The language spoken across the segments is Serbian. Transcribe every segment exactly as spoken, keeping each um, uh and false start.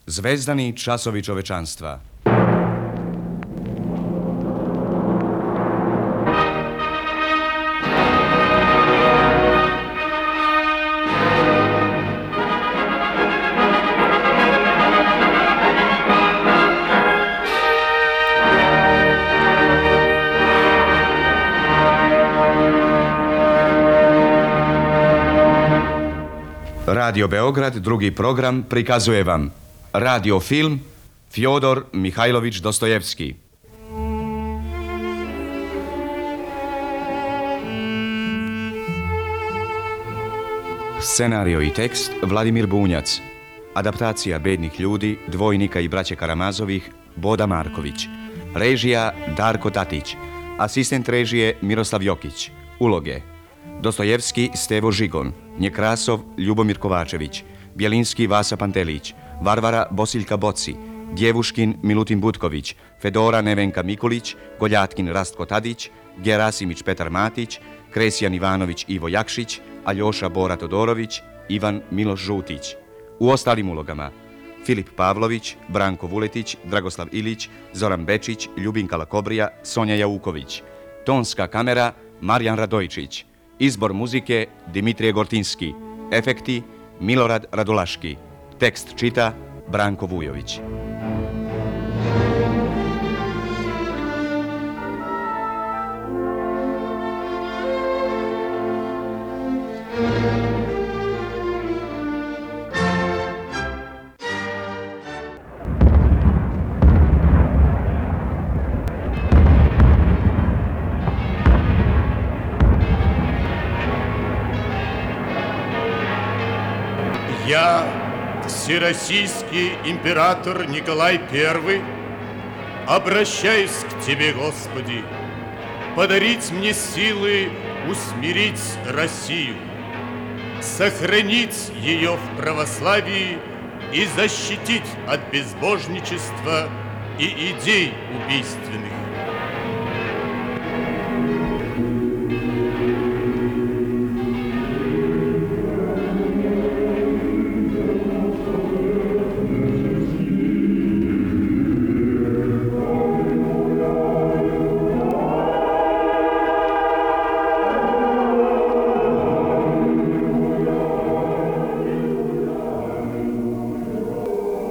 Zvezdani časovi čovečanstva. Radio Beograd, drugi program, prikazuje vam radio film Fjodor Mihajlović Dostojevski. Scenario i tekst Vladimir Bunjac. Adaptacija Bednih ljudi, dvojnika i braće Karamazovih Boda Marković. Režija Darko Tatić. Asistent režije Miroslav Jokić. Uloge: Dostojevski Stevo Žigon, Njekrasov Ljubomir Kovačević, Bjelinski Vasa Pantelić, Varvara Bosiljka Boci, Djevuškin Milutin Butković, Fedora Nevenka Mikulić, Goljatkin Rastko Tadić, Gerasimić Petar Matić, Kresjan Ivanović Ivo Jakšić, Aljoša Bora Todorović, Ivan Miloš Žutić. U ostalim ulogama: Filip Pavlović, Branko Vuletić, Dragoslav Ilić, Zoran Bečić, Ljubinka Lakobrija, Sonja Jauković. Tonska kamera Marijan Radojčić. Izbor muzike Dimitrije Gortinski. Efekti Milorad Radulaški. Tekst čita Branko Vujović. Я, всероссийский император Николай Первый, обращаюсь к Тебе, Господи, подарить мне силы усмирить Россию, сохранить ее в православии и защитить от безбожничества и идей убийственных.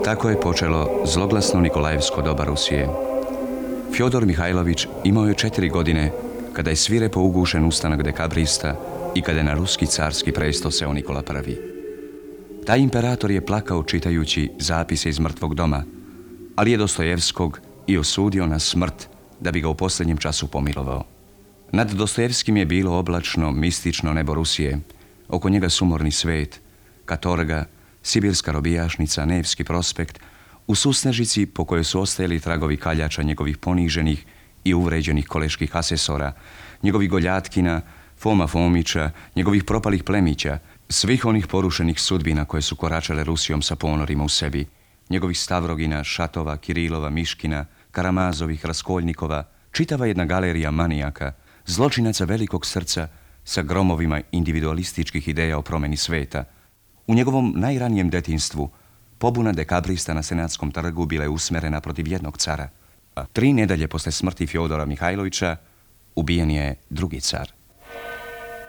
Tako je počelo zloglasno Nikolajevsko doba Rusije. Fjodor Mihajlović imao je četiri godine kada je svirepo ugušen ustanak dekabrista i kada je na ruski carski presto seo Nikola Prvi. Taj imperator je plakao čitajući zapise iz mrtvog doma, ali je Dostojevskog i osudio na smrt da bi ga u posljednjem času pomilovao. Nad Dostojevskim je bilo oblačno, mistično nebo Rusije, oko njega sumorni svet, katorga, Sibirska robijašnica, Nevski prospekt, u susnežici po kojoj su ostajali tragovi kaljača njegovih poniženih i uvređenih koleških asesora, njegovih Goljatkina, Foma Fomića, njegovih propalih plemića, svih onih porušenih sudbina koje su koračale Rusijom sa ponorima u sebi, njegovih Stavrogina, Šatova, Kirilova, Miškina, Karamazovih, Raskoljnikova, čitava jedna galerija manijaka, zločinaca velikog srca sa gromovima individualističkih ideja o promjeni sveta. U njegovom najranijem detinjstvu pobuna dekabrista na Senatskom trgu bila je usmerena protiv jednog cara. A tri nedelje posle smrti Fjodora Mihajlovića ubijen je drugi car.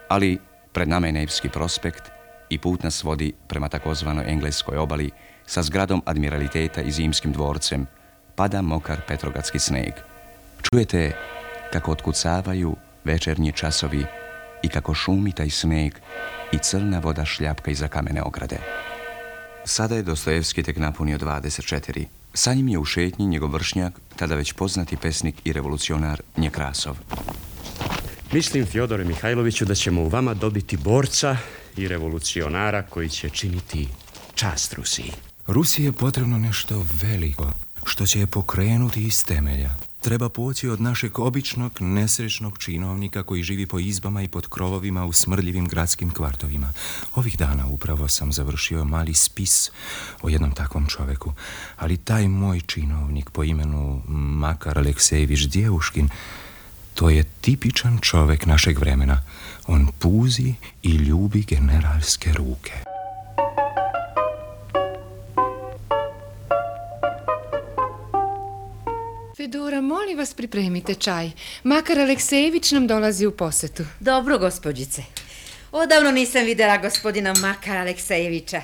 Ali pred nama je Nevski prospekt i put nas vodi prema takozvanoj engleskoj obali sa zgradom admiraliteta i zimskim dvorcem. Pada mokar petrogatski sneg. Čujete kako otkucavaju večernji časovi i kako šumi taj sneg i crna voda šljapka iza kamene ograde. Sada je Dostojevski tek napunio dvadeset četiri. Sa njim je u šetnji njegov vršnjak, tada već poznati pesnik i revolucionar Njekrasov. Mislim, Fjodore Mihajloviću, da ćemo u vama dobiti borca i revolucionara koji će činiti čast Rusiji. Rusiji je potrebno nešto veliko, što će je pokrenuti iz temelja. Treba poći od našeg običnog, nesrećnog činovnika koji živi po izbama i pod krovovima u smrdljivim gradskim kvartovima. Ovih dana upravo sam završio mali spis o jednom takvom čoveku, ali taj moj činovnik po imenu Makar Aleksejević Djevuškin, to je tipičan čovek našeg vremena. On puzi i ljubi generalske ruke. Fedora, molim vas pripremite čaj. Makar Aleksejević nam dolazi u posetu. Dobro, gospođice. Odavno nisam vidjela gospodina Makara Aleksejevića.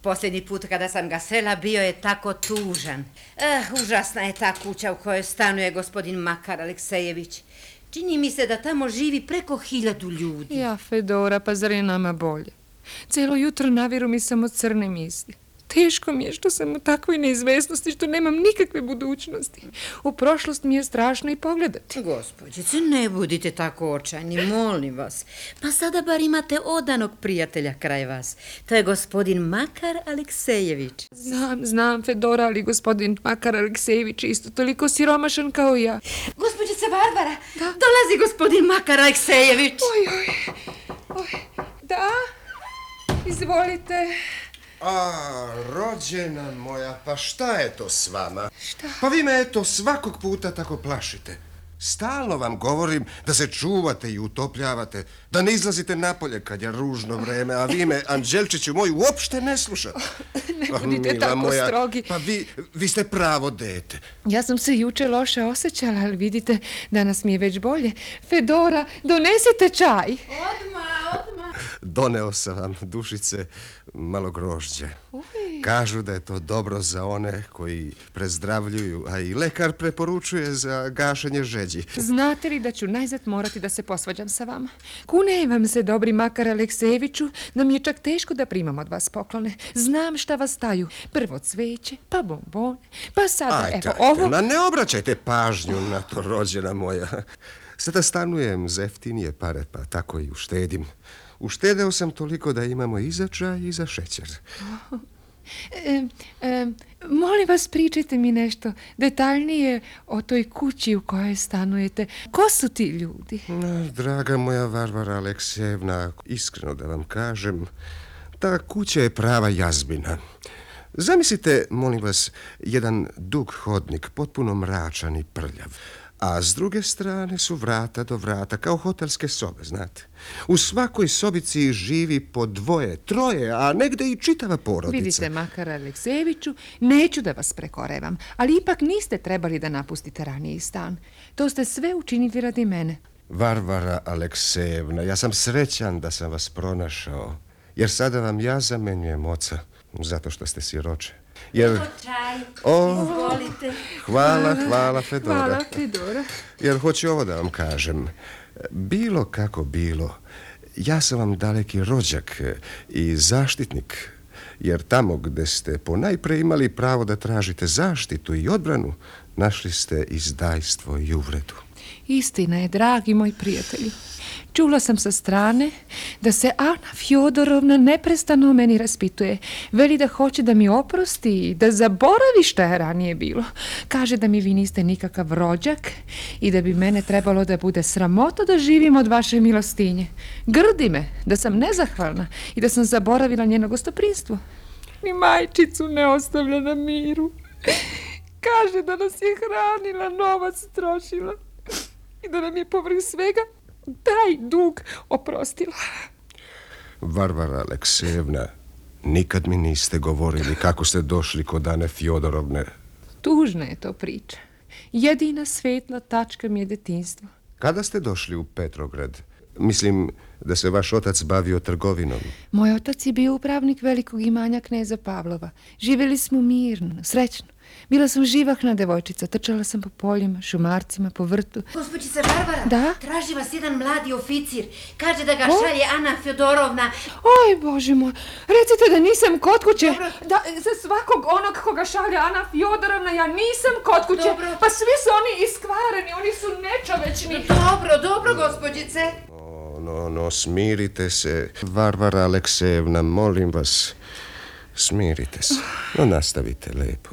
Posljednji put kada sam ga srela bio je tako tužan. Eh, užasna je ta kuća u kojoj stanuje gospodin Makar Aleksejević. Čini mi se da tamo živi preko hiljadu ljudi. Ja, Fedora, pa zar je nama bolje? Cijelo jutro naviru mi samo crne misli. Teško mi je što sam u takvoj neizvesnosti, što nemam nikakve budućnosti. U prošlost mi je strašno i pogledati. Gospođice, ne budite tako očajni, molim vas. Pa sada bar imate odanog prijatelja kraj vas. To je gospodin Makar Aleksejević. Znam, znam, Fedora, ali gospodin Makar Aleksejević je isto toliko siromašan kao i ja. Gospođice Barbara, da? Dolazi gospodin Makar Aleksejević. Oj, oj, oj, da, izvolite. A, rođena moja, pa šta je to s vama? Šta? Pa vi me eto svakog puta tako plašite. Stalno vam govorim da se čuvate i utopljavate, da ne izlazite napolje kad je ružno vreme, a vi me, Anđelčiću moj, uopšte ne slušate. Ne budite Mila tako moja, strogi. Pa vi, vi ste pravo dete. Ja sam se juče loše osjećala, ali vidite, danas mi je već bolje. Fedora, donesite čaj. Odmah, odmah. Doneo sam vam, dušice, malo grožđe. Uj. Kažu da je to dobro za one koji prezdravljuju, a i lekar preporučuje za gašenje žeđi. Znate li da ću najzad morati da se posvađam sa vama? Kunem vam se, dobri Makar Aleksejeviću, da mi je čak teško da primam od vas poklone. Znam šta vas staju. Prvo cveće, pa bombone, pa sada, Ajde, evo ajde, ovo. ma ne obraćajte pažnju na to, rođena moja. Sada stanujem za jeftinije pare, pa tako i uštedim. Uštedeo sam toliko da imamo i za čaj i za šećer. E, e, molim vas, pričajte mi nešto detaljnije o toj kući u kojoj stanujete. Ko su ti ljudi? No, draga moja Varvara Aleksejevna, iskreno da vam kažem, ta kuća je prava jazbina. Zamislite, molim vas, jedan dug hodnik, potpuno mračan i prljav. A s druge strane su vrata do vrata, kao hotelske sobe, znate. U svakoj sobici živi po dvoje, troje, a negde i čitava porodica. Vidite, Makar Aleksejeviću, neću da vas prekorevam, ali ipak niste trebali da napustite raniji stan. To ste sve učinili radi mene. Varvara Aleksejevna, ja sam srećan da sam vas pronašao, jer sada vam ja zamenjujem oca, zato što ste siroče. Jer... Čaj, O, izvolite. hvala, hvala, Fedora. Hvala, Fedora. Jer hoću ovo da vam kažem. Bilo kako bilo, ja sam vam daleki rođak i zaštitnik. Jer tamo gde ste ponajpre imali pravo da tražite zaštitu i odbranu, našli ste izdajstvo i uvredu. Istina je, dragi moj prijatelju. Čula sam sa strane da se Ana Fjodorovna neprestano o meni raspituje. Veli da hoće da mi oprosti i da zaboravi šta je ranije bilo. Kaže da mi vi niste nikakav rođak i da bi mene trebalo da bude sramota da živim od vaše milostinje. Grdi me da sam nezahvalna i da sam zaboravila njeno gostoprinstvo. Ni majčicu ne ostavlja na miru. Kaže da nas je hranila, novac trošila i da nam je povrh svega taj dug oprostila. Varvara Aleksejevna, nikad mi niste govorili kako ste došli kod Ane Fjodorovne. Tužna je to priča. Jedina svetla tačka mi je detinjstvo. Kada ste došli u Petrograd? Mislim da se vaš otac bavio trgovinom. Moj otac je bio upravnik velikog imanja kneza Pavlova. Živjeli smo mirno, srećno. Bila sam živahna devojčica, trčala sam po poljima, šumarcima, po vrtu. Gospođice Barbara, Da? traži vas jedan mladi oficir. Kaže da ga šalje Ana Fjodorovna. Oj, Bože moj, recite da nisam kod kuće. Da, za svakog onog koga šalje Ana Fjodorovna, ja nisam kod kuće. Dobro. Pa svi su oni iskvareni, oni su nečovečni. Dobro, dobro, gospođice. O, no, no, smirite se. Varvara Aleksejevna, molim vas, smirite se. No, nastavite lepo.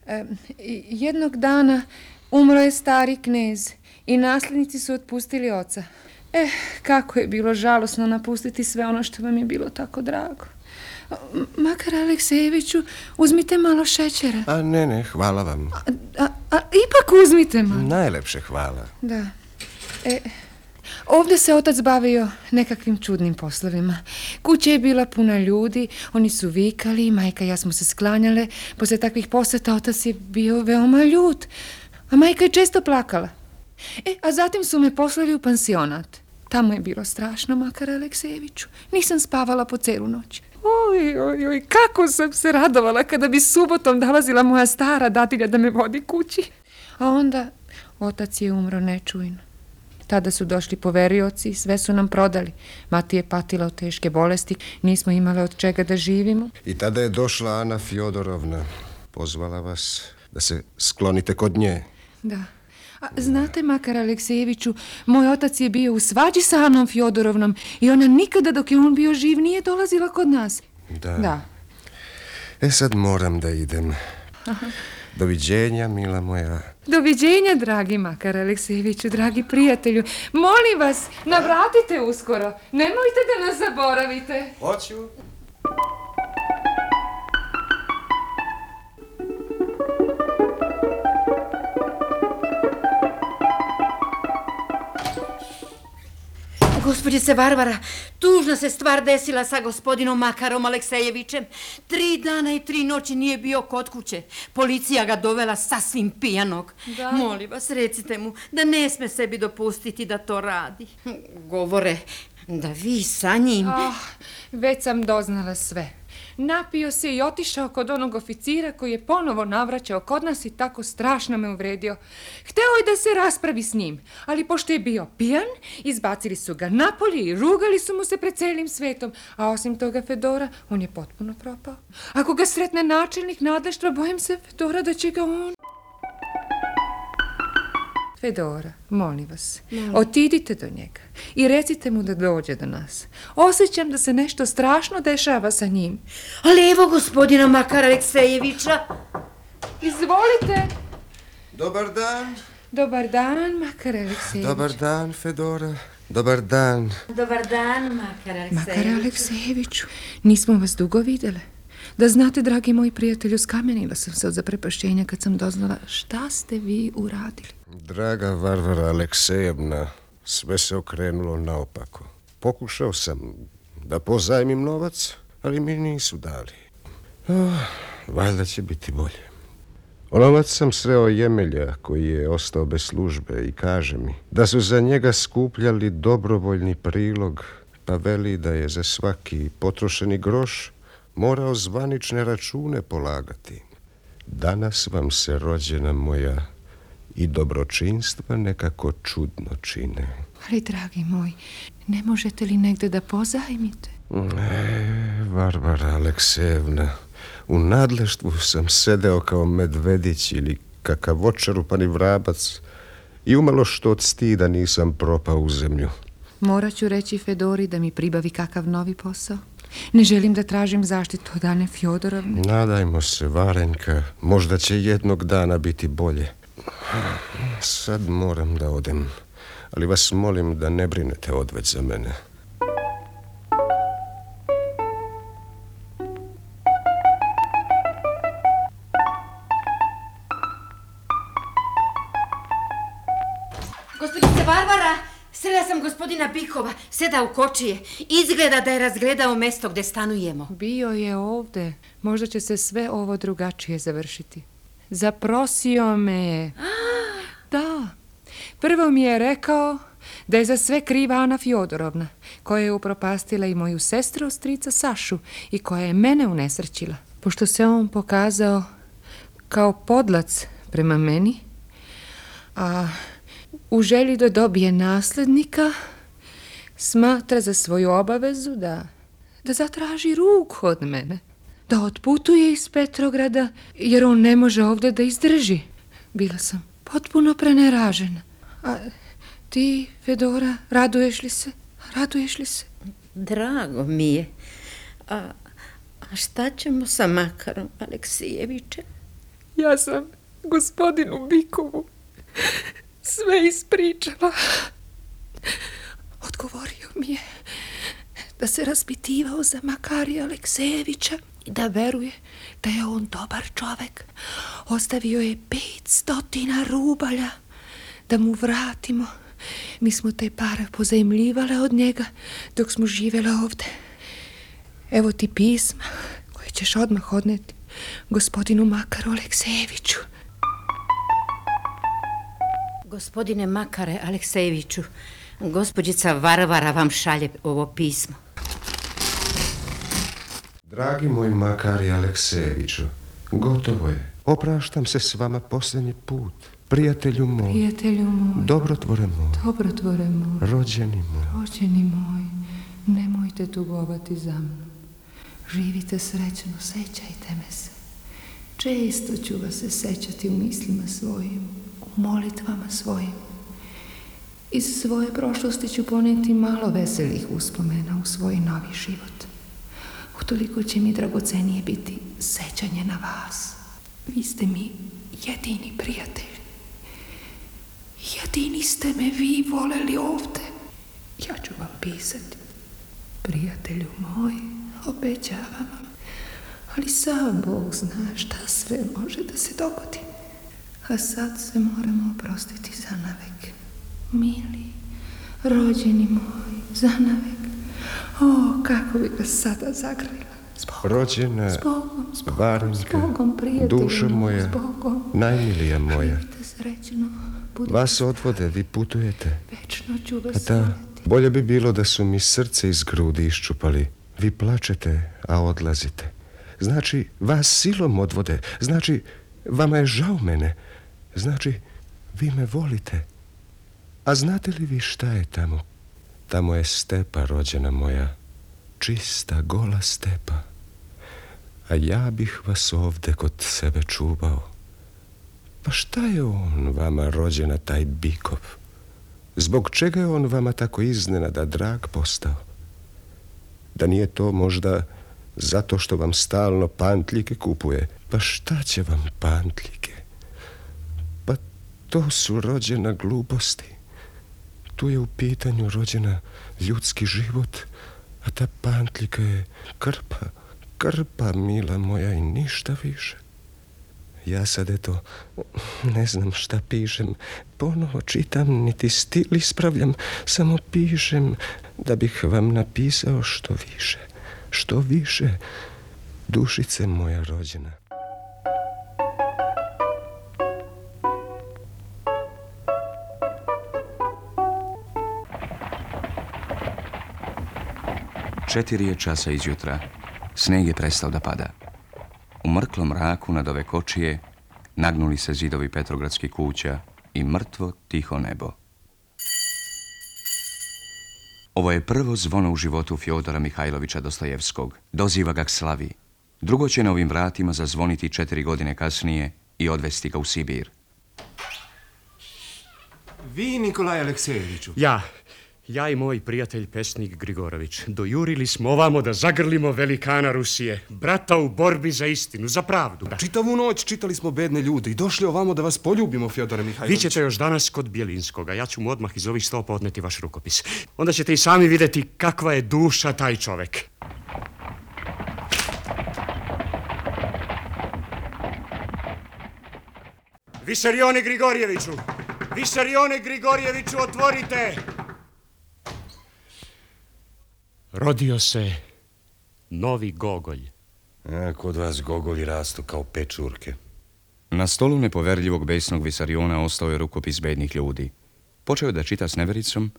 E, jednog dana umro je stari knez i nasljednici su otpustili oca. Eh, kako je bilo žalosno napustiti sve ono što vam je bilo tako drago. M- Makar Aleksejeviću, uzmite malo šećera. A ne, ne, hvala vam. A, a, a ipak uzmite malo. Najlepše hvala. Da. E, ovdje se otac bavio nekakvim čudnim poslovima. Kuća je bila puna ljudi, oni su vikali, majka i ja smo se sklanjale. Poslije takvih posjeta otac je bio veoma ljut. A majka je često plakala. E, a zatim su me poslali u pansionat. Tamo je bilo strašno, Makar Aleksejeviću. Nisam spavala po celu noć. Oj, oj, oj, kako sam se radovala kada bi subotom dolazila moja stara datilja da me vodi kući. A onda otac je umro nečujno. Tada su došli poverioci i sve su nam prodali. Mati je patila od teške bolesti, nismo imali od čega da živimo. I tada je došla Ana Fjodorovna. Pozvala vas da se sklonite kod nje. Da. A znate, Makar Aleksejeviću, moj otac je bio u svađi sa Anom Fjodorovnom i ona nikada dok je on bio živ nije dolazila kod nas. Da. Da. E sad moram da idem. Aha. Doviđenja, mila moja. Doviđenja, dragi Makar Aleksejeviću, dragi prijatelju. Molim vas, navratite uskoro. Nemojte da nas zaboravite. Hoću. Gospođice Varvara, tužna se stvar desila sa gospodinom Makarom Aleksejevićem. Tri dana i tri noći nije bio kod kuće. Policija ga dovela sasvim pijanog. Da. Molim vas, recite mu da ne sme sebi dopustiti da to radi. Govore da vi sa njim... Oh, već sam doznala sve. Napio se i otišao kod onog oficira koji je ponovo navraćao kod nas i tako strašno me uvredio. Hteo je da se raspravi s njim, ali pošto je bio pijan, izbacili su ga napolje i rugali su mu se pred celim svetom. A osim toga, Fedora, on je potpuno propao. Ako ga sretne načelnik nadleštva, bojim se, Fedora, da će ga on... Fedora, molim vas, no. Otidite do njega i recite mu da dođe do nas. Osjećam da se nešto strašno dešava sa njim. Ali evo gospodina Makara Aleksejevića. Izvolite. Dobar dan. Dobar dan, Makar Aleksejević. Dobar dan, Fedora. Dobar dan. Dobar dan, Makar Aleksejeviću. Makar Aleksejeviću, nismo vas dugo videle. Da znate, dragi moji prijatelju, skamenila sam se od zaprepašćenja kad sam doznala šta ste vi uradili. Draga Varvara Aleksejevna, sve se okrenulo naopako. Pokušao sam da pozajmim novac, ali mi nisu dali. Oh, valjda će biti bolje. Onovac sam sreo Jemelja koji je ostao bez službe i kaže mi da su za njega skupljali dobrovoljni prilog, pa veli da je za svaki potrošeni groš morao zvanične račune polagati. Danas vam se, rođena moja, i dobročinstva nekako čudno čine. Ali, dragi moj, ne možete li negde da pozajmite? E, Varvara Aleksejevna, u nadleštvu sam sedeo kao medvedić ili kakav očerupani vrabac i umalo što od stida nisam propao u zemlju. Morat ću reći Fedori da mi pribavi kakav novi posao. Ne želim da tražim zaštitu od Ane Fjodorovne. Nadajmo se, Varenka, možda će jednog dana biti bolje. Sad moram da odem, ali vas molim da ne brinete odveć za mene. Gospodice Varvara, srela sam gospodina Bikova, seda u kočije. Izgleda da je razgledao mesto gde stanujemo. Bio je ovde. Možda će se sve ovo drugačije završiti. Zaprosio me je. Da. Prvo mi je rekao da je za sve kriva Ana Fjodorovna, koja je upropastila i moju sestru, strica Sašu, i koja je mene unesrećila. Pošto se on pokazao kao podlac prema meni, a u želji da dobije naslednika, smatra za svoju obavezu da, da zatraži ruku od mene, da otputuje iz Petrograda, jer on ne može ovdje da izdrži. Bila sam potpuno preneražena. A ti, Fedora, raduješ li se? Raduješ li se? Drago mi je. A, a šta ćemo sa Makarom Aleksejevićem? Ja sam gospodinu Bikovu sve ispričala. Odgovorio mi je da se raspitivao za Makarija Aleksejevića i da veruje da je on dobar čovek. Ostavio je pet stotina rubalja da mu vratimo. Mi smo te pare pozajmljivale od njega dok smo živjela ovde. Evo ti pisma koje ćeš odmah odneti gospodinu Makaru Aleksejeviću. Gospodine Makare Aleksejeviću, gospođica Varvara vam šalje ovo pismo. Dragi moj Makari Aleksejeviću, gotovo je. Opraštam se s vama posljednji put. Prijatelju moj. Prijatelju moj. Dobrotvore moj. Dobrotvore moj. Rođeni moj. Rođeni moj, nemojte tugovati za mnom. Živite srećno, sećajte me se. Često ću vas se sećati u mislima svojim, u molitvama svojim. Iz svoje prošlosti ću poneti malo veselih uspomena u svoj novi život. Utoliko će mi dragocenije biti sećanje na vas. Vi ste mi jedini prijatelj. Jedini ste me vi voleli ovde. Ja ću vam pisati. Prijatelju moj, obećavam vam. Ali sam Bog zna šta sve može da se dogodi. A sad se moramo oprostiti za navek. Mili, rođeni moj, za navek. O, kako bi ga sada zagrlila. Zbogom, Rođena, zbogom, zbogom, Varenka, zbogom, prijatelju dušo moj, moja, zbogom. najmilija moja. Živite srećno, budite Vas odvode, vi putujete. večno ću vas A da, voljeti. bolje bi bilo da su mi srce iz grudi iščupali. Vi plačete, a odlazite. Znači, vas silom odvode. Znači, vama je žao mene. Znači, vi me volite. A znate li vi šta je tamo? Tamo je stepa, rođena moja. Čista, gola stepa. A ja bih vas ovde kod sebe čuvao. Pa šta je on vama, rođena, taj Bikov? Zbog čega je on vama tako iznenada drag postao? Da nije to možda zato što vam stalno pantljike kupuje? Pa šta će vam pantljike? Pa to su, rođena, gluposti. Tu je u pitanju, rođena, ljudski život, a ta pantljika je krpa, krpa, mila moja, i ništa više. Ja sad, eto, ne znam šta pišem, ponovo čitam, niti stil ispravljam, samo pišem da bih vam napisao što više, što više, dušice moja rođena. Četiri je časa izjutra. Sneg je prestao da pada. U mrklom mraku nad ove kočije nagnuli se zidovi petrogradskih kuća i mrtvo tiho nebo. Ovo je prvo zvono u životu Fjodora Mihajlovića Dostojevskog. Doziva ga k slavi. Drugo će na ovim vratima zazvoniti četiri godine kasnije i odvesti ga u Sibir. Vi, Nikolaj Aleksejeviću. Ja, ja i moj prijatelj pesnik Grigorović dojurili smo ovamo da zagrlimo velikana Rusije, brata u borbi za istinu, za pravdu. Da. Čitavu noć čitali smo bedne ljude i došli ovamo da vas poljubimo, Fjodore Mihajlović. Vi ćete još danas kod Bjelinskoga. Ja ću mu odmah iz ovih stopa odneti vaš rukopis. Onda ćete i sami vidjeti kakva je duša taj čovek. Visarione Grigorjeviću! Visarione Grigorjeviću, otvorite! Rodio se novi Gogolj. A, kod vas Gogolji rastu kao pečurke. Na stolu nepoverljivog besnog Visariona ostao je rukopis bednih ljudi. Počeo je da čita s nevericom,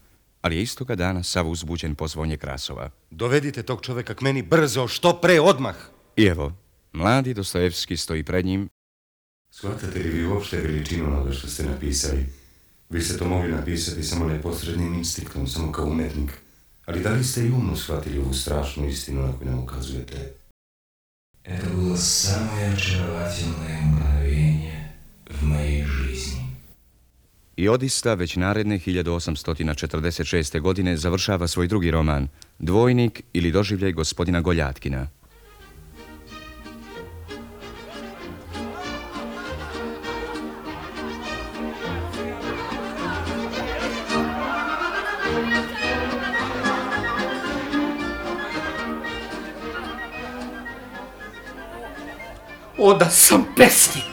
ali je istoga dana sav uzbuđen po zvonje krasova. Dovedite tog čoveka k meni brzo, što pre, odmah. I evo, mladi Dostojevski stoji pred njim. Shvatate li vi uopšte veličinu onoga što ste napisali? Vi ste to mogli napisati samo neposrednim instinktom, samo kao umetnik. Ali da li ste i umno shvatili ovu strašnu istinu na koju nam ukazujete? Это было самое очаровательное мгновение в моей жизни. I odista već naredne hiljadu osamsto četrdeset šeste. godine završava svoj drugi roman, Dvojnik ili doživljaj gospodina Goljatkina. O, da sam pesnik!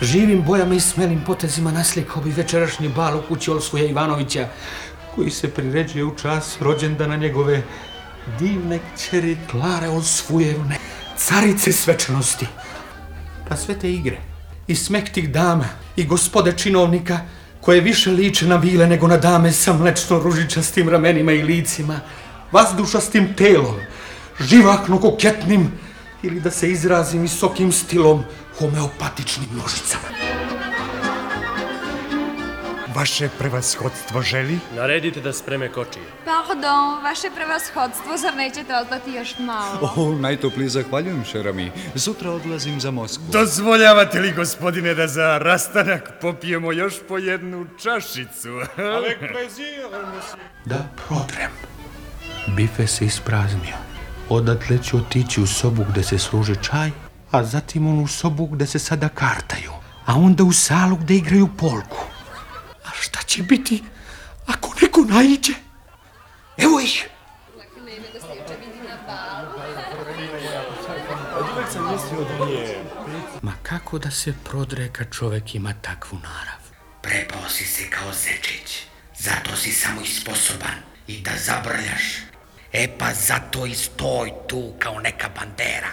Živim bojama i smelim potezima naslikao bi večerašnji bal u kući Olskuja Ivanovića, koji se priređuje u čas rođendana njegove divne kćeri Klare Olsfujevne, carice svečanosti. Pa sve te igre i smeh tih dama i gospode činovnika koje više liče na vile nego na dame sa mlečno ružičastim ramenima i licima, vazdušastim telom, živahno koketnim ili da se izrazim visokim stilom homeopatičnim nožicama. Vaše prevashodstvo želi? Naredite da spreme kočije. Pardon, vaše prevashodstvo, zar nećete ostati još malo? O, najtoplije zahvaljujem, šerami. Sutra odlazim za Moskvu. Dozvoljavate li, gospodine, da za rastanak popijemo još po jednu čašicu? Avec plaisir, monsieur. Da prodrem. Bife se ispraznio. Odatle ću otići u sobu gde se služi čaj, a zatim onu sobu gde se sada kartaju, a onda u salu gde igraju polku. A šta će biti ako neko naiđe? Evo ih! Ma kako da se prodre kad čovek ima takvu narav? Prepao si se kao zečić, zato si samo isposoban i da zabrljaš. E pa zato i stoj tu kao neka bandera.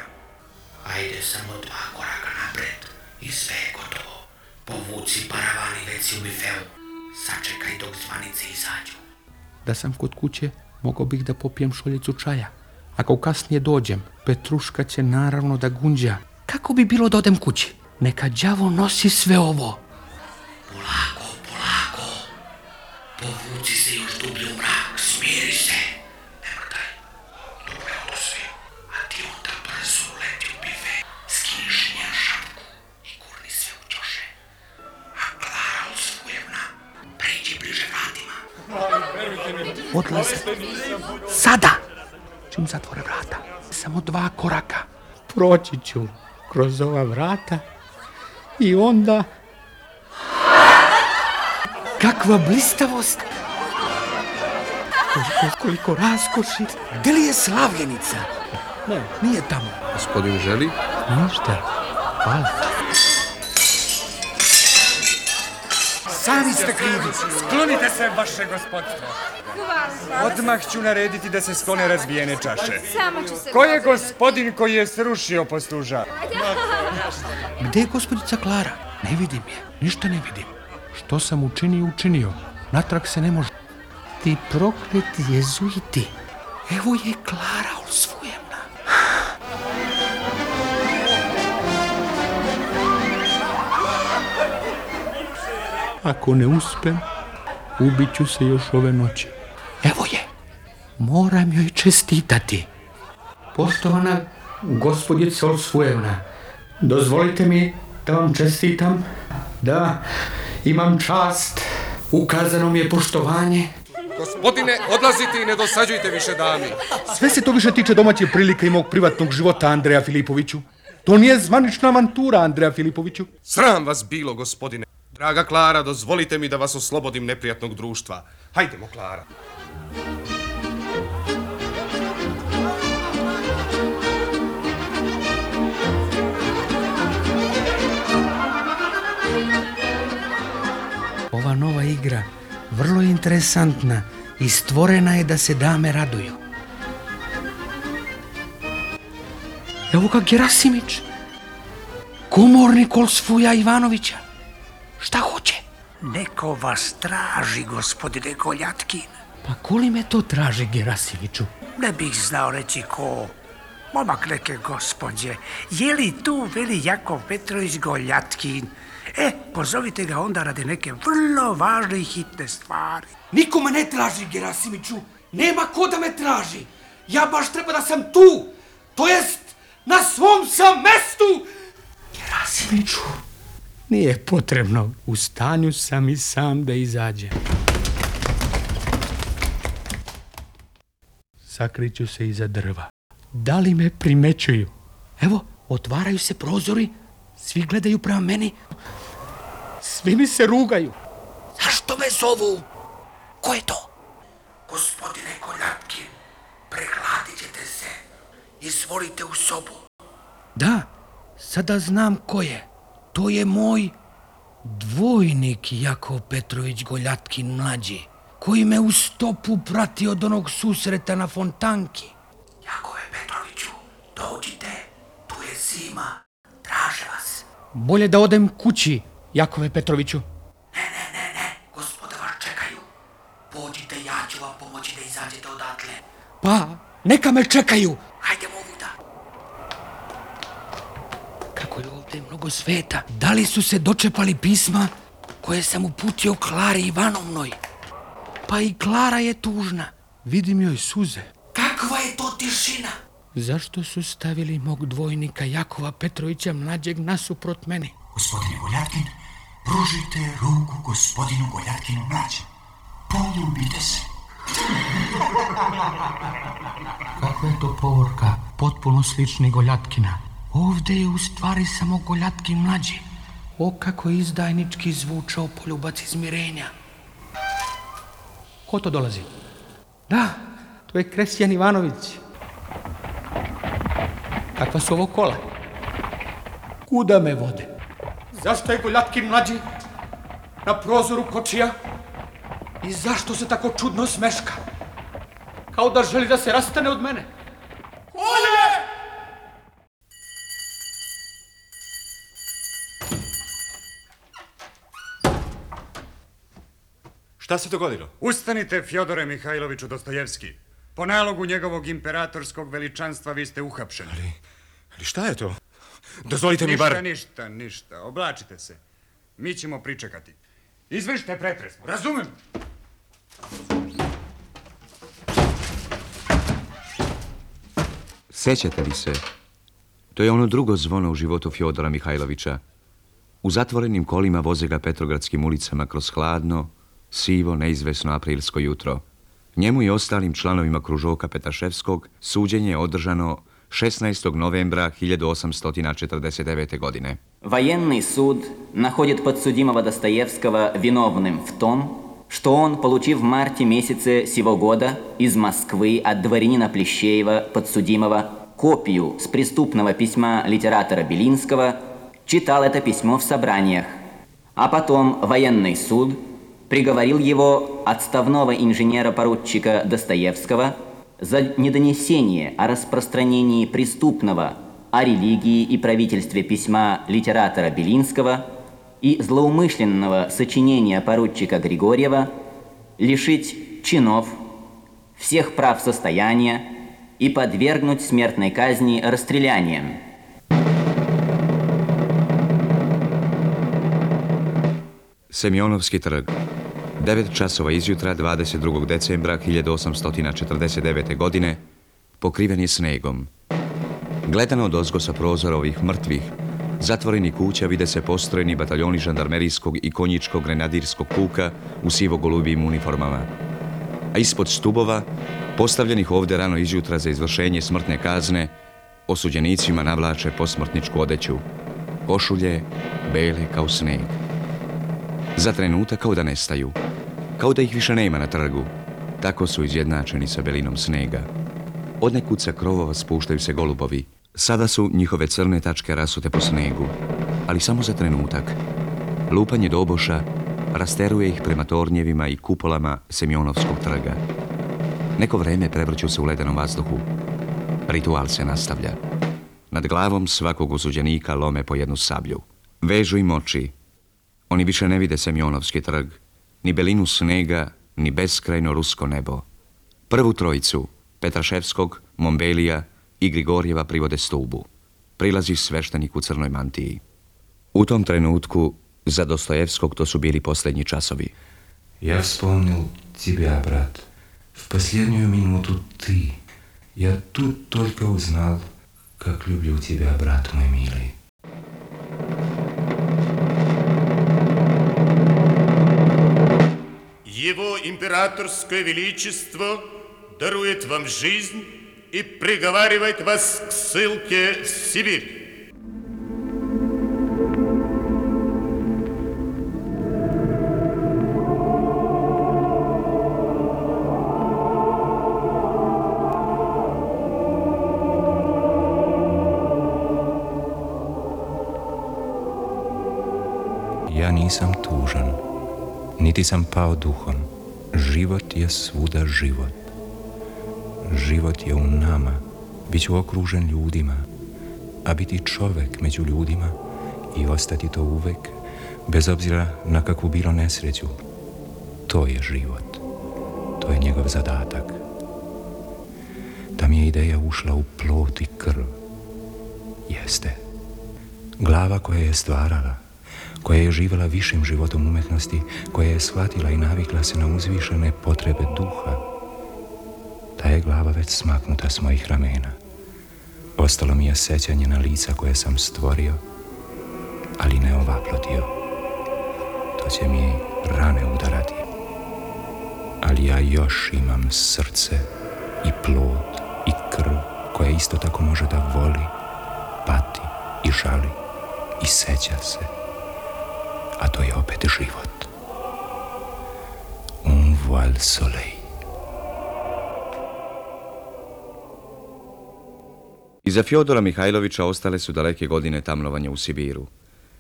Ajde samo dva koraka napred i sve je gotovo. Povuci paravani već si u bifeu. Sačekaj dok zvanice izađu. Da sam kod kuće, mogao bih da popijem šoljicu čaja. Ako kasnije dođem, Petruška će naravno da gunđa. Kako bi bilo da odem kući? Neka đavo nosi sve ovo. Polako, polako. Povuci se još dublje u mrak, smiri se. Ne mrdaj. Dobro je odo sve. A ti onda brzo uleti u bife. Skiniš njen šapku i gurni sve u ćoše. A Klara Olsvujevna, pređi bliže vratima. Odlaze. Sada! Čim zatvore vrata. Samo dva koraka. Proći ću kroz ova vrata i onda... Kakva blistavost! Koliko, koliko raskoši! Gde li je slavljenica? Ne, nije tamo. Gospodin želi? Ništa. Hvala. Sami ste krivi. Sklonite se, vaše gospodstvo. Odmah ću narediti da se sklone razbijene čaše. Samo ću se... Ko je gospodin koji je srušio posluža? Gde je gospođica Klara? Ne vidim je, ništa ne vidim. Što sam učinio, učinio. Natrag se ne može. Ti prokleti jezuiti. Evo je Klara Olsvujevna. Ako ne uspem, ubit ću se još ove noći. Evo je. Moram joj čestitati. Poštovana gospođica Olsvujevna, dozvolite mi da vam čestitam. Da, imam čast. Ukazano mi je poštovanje. Gospodine, odlazite i ne dosađujte više dami. Sve se to više tiče domaće prilike i mog privatnog života, Andreja Filipoviću. To nije zvanična avantura, Andreja Filipoviću. Sram vas bilo, gospodine. Draga Klara, dozvolite mi da vas oslobodim neprijatnog društva. Hajdemo, Klara. Ova nova igra vrlo je interesantna i stvorena je da se dame raduju. Evo ga Gerasimić, komornik Olsvuja Ivanovića. Šta hoće? Neko vas traži, gospodine Goljatkin. Pa ko li me to traži, Gerasimiću? Ne bih znao reći ko. Momak neke gospođe. Je li tu veli Jakov Petrović Goljatkin? E, pozovite ga onda radi neke vrlo važne i hitne stvari. Niko me ne traži, Gerasimiću. Nema ko da me traži. Ja baš treba da sam tu. To jest, na svom sam mestu. Gerasimiću. Nije potrebno. U stanju sam i sam da izađem. Sakriću se iza drva. Da li me primećuju? Evo, otvaraju se prozori. Svi gledaju prema meni. Svi mi se rugaju. Zašto me zovu? Ko je to? Gospodine Goljatkin, pregladit ćete se. Izvolite u sobu. Da, sada znam ko je. To je moj dvojnik Jakov Petrović Goljatkin mlađi, koji me u stopu prati od onog susreta na fontanki. Jakove Petroviću, dođite, tu je zima, traže vas. Bolje da odem kući, Jakove Petroviću. Ne, ne, ne, ne, Pa, neka me čekaju. Hajde ovuda. Kako je ovdje mnogo sveta. Da li su se dočepali pisma koje sam uputio Klari Ivanovnoj? Pa i Klara je tužna. Vidim joj suze. Kakva je to tišina? Zašto su stavili mog dvojnika Jakova Petrovića mlađeg nasuprot mene? Gospodine Goljatkin, pružite ruku gospodinu Goljatkinu mlađem. Poljubite se. Kakva je to povorka? Potpuno slični Goljatkina. Ovdje je u stvari samo Goljatkin mlađi. O, kako je izdajnički zvučao poljubac izmirenja. Ko to dolazi? Da, to je Kresjan Ivanović. Kakva su ovo kola? Kuda me vode? Zašto je Goljatkin mlađi na prozoru kočija? I zašto se tako čudno smeška? Kao da želi da se rastane od mene. Kolje! Šta se dogodilo? Ustanite, Fjodore Mihajloviću Dostojevski. Po nalogu njegovog imperatorskog veličanstva vi ste uhapšeni. Ali, ali šta je to? Dozvolite mi bar... Ništa, ništa, ništa. Oblačite se. Mi ćemo pričekati. Izvršite pretres. Razumem. Sjećate li se? To je ono drugo zvono u životu Fjodora Mihajlovića. U zatvorenim kolima voze ga Petrogradskim ulicama kroz hladno, sivo, neizvesno aprilsko jutro. Njemu i ostalim članovima kružoka Petaševskog suđenje je održano šesnaestog novembra hiljadu osamsto četrdeset devete. godine. Военный суд находит подсудимого Достоевского виновным в том, что он, получив в марте месяце сего года из Москвы от дворянина Плещеева, подсудимого, копию с преступного письма литератора Белинского, читал это письмо в собраниях, а потом военный суд приговорил его, отставного инженера-поручика Достоевского, за недонесение о распространении преступного о религии и правительстве письма литератора Белинского и злоумышленного сочинения поручика Григорьева лишить чинов, всех прав состояния и подвергнуть смертной казни расстрелянием. Semionovski trg. devet časova izjutra dvadeset drugog decembra hiljadu osamsto četrdeset devete. godine pokriven je snegom. Gledano odozgo sa prozora ovih mrtvih, zatvorenih kuća vide se postrojeni bataljoni žandarmerijskog i konjičkog grenadirskog puka u sivo-golubijim uniformama. A ispod stubova, postavljenih ovdje rano izjutra za izvršenje smrtne kazne, osuđenicima navlače posmrtničku odeću. Košulje, bele kao sneg. Za trenutak kao da nestaju, kao da ih više nema na trgu. Tako su izjednačeni sa belinom snega. Odnekud sa krovova spuštaju se golubovi. Sada su njihove crne tačke rasute po snegu, ali samo za trenutak. Lupanje doboša rasteruje ih prema tornjevima i kupolama Semionovskog trga. Neko vreme prevrću se u ledenom vazduhu. Ritual se nastavlja. Nad glavom svakog osuđenika lome po jednu sablju. Vežu im oči. Oni više ne vide Semionovski trg, ni belinu snega, ni beskrajno rusko nebo. Prvu trojicu, Petraševskog, Mombelija i Grigorjeva, privode stubu. Prilazi sveštenik u crnoj mantiji. U tom trenutku, za Dostojevskog to su bili posljednji časovi. Ja вспомнил тебя, брат. В последнюю минуту ты. Я тут только узнал, как люблю тебя, брат мой милый. Его императорское величество дарует вам жизнь и приговаривает вас к ссылке в Сибирь. Ja nisam tužan, niti sam pao duhom. Život je svuda život. Život je u nama. Biću okružen ljudima, a biti čovek među ljudima i ostati to uvek, bez obzira na kakvu bilo nesreću. To je život. To je njegov zadatak. da mi je ideja ušla u plot i krv. Jeste. Glava koja je stvarala, koja je živjela višim životom umetnosti, koja je shvatila i navikla se na uzvišene potrebe duha. Ta je glava već smaknuta s mojih ramena. Ostalo mi je sećanje na lica koje sam stvorio, ali ne ovaplotio. To će mi rane udarati. Ali ja još imam srce i plod i krv koja isto tako može da voli, pati i žali i seća se. A to je opet život. Un voile soleil. Iza Fjodora Mihajlovića ostale su daleke godine tamnovanja u Sibiru.